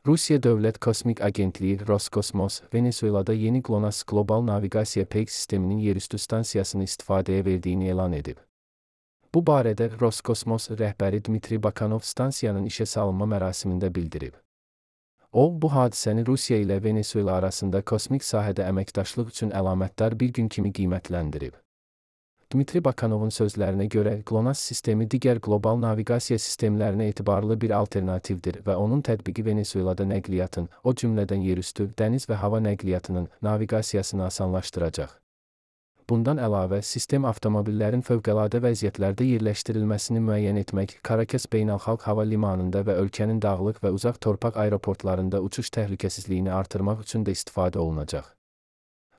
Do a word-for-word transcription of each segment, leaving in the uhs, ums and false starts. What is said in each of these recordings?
Rusiya Dövlət Kosmik Agentliyi Roskosmos, Venesuelada yeni GLONASS qlobal naviqasiya peyk sisteminin yerüstü stansiyasını istifadəyə verdiyini elan edib. Bu barədə Roskosmos rəhbəri Dmitri Bakanov stansiyanın işə salınma mərasimində bildirib. O, bu hadisəni Rusiya ilə Venesuela arasında kosmik sahədə əməkdaşlıq üçün əlamətdar bir gün kimi qiymətləndirib. Dmitri Bakanovun sözlərinə görə, GLONASS sistemi digər qlobal naviqasiya sistemlərinə etibarlı bir alternativdir və onun tətbiqi Venesuelada nəqliyyatın, o cümlədən yerüstü, dəniz və hava nəqliyyatının naviqasiyasını asanlaşdıracaq. Bundan əlavə, sistem avtomobillərin fövqəladə vəziyyətlərdə yerləşdirilməsini müəyyən etmək, Karakas Beynəlxalq Hava Limanında və ölkənin dağlıq və uzaq torpaq aeroportlarında uçuş təhlükəsizliyini artırmaq üçün də istifadə olunacaq.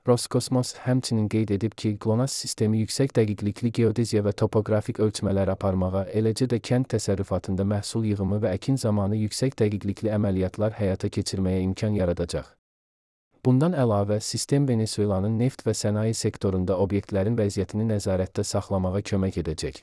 Roskosmos həmçinin qeyd edib ki, GLONASS sistemi yüksək dəqiqlikli geodeziya və topoqrafik ölçmələr aparmağa, eləcə də kənd təsərrüfatında məhsul yığımı və əkin zamanı yüksək dəqiqlikli əməliyyatlar həyata keçirməyə imkan yaradacaq. Bundan əlavə, sistem Venesuelanın neft və sənaye sektorunda obyektlərin vəziyyətini nəzarətdə saxlamağa kömək edəcək.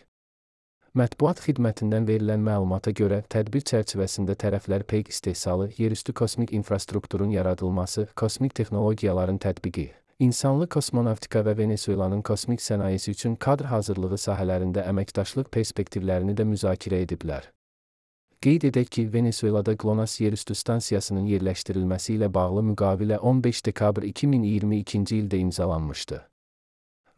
Mətbuat xidmətindən verilən məlumata görə, tədbir çərçivəsində tərəflər peyk istehsalı, yerüstü kosmik infrastrukturun yaradılması, kosmik texnologiyaların tətbiqi, insanlı kosmonavtika və Venesuelanın kosmik sənayesi üçün kadr hazırlığı sahələrində əməkdaşlıq perspektivlərini də müzakirə ediblər. Qeyd edək ki, Venesuelada GLONASS yerüstü stansiyasının yerləşdirilməsi ilə bağlı müqavilə on beş dekabr iki min iyirmi ikinci ildə imzalanmışdı.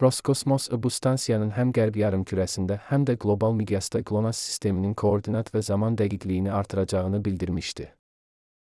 Roskosmos bu stansiyanın həm qərb yarımkürəsində, həm də qlobal miqyasda GLONASS sisteminin koordinat və zaman dəqiqliyini artıracağını bildirmişdi.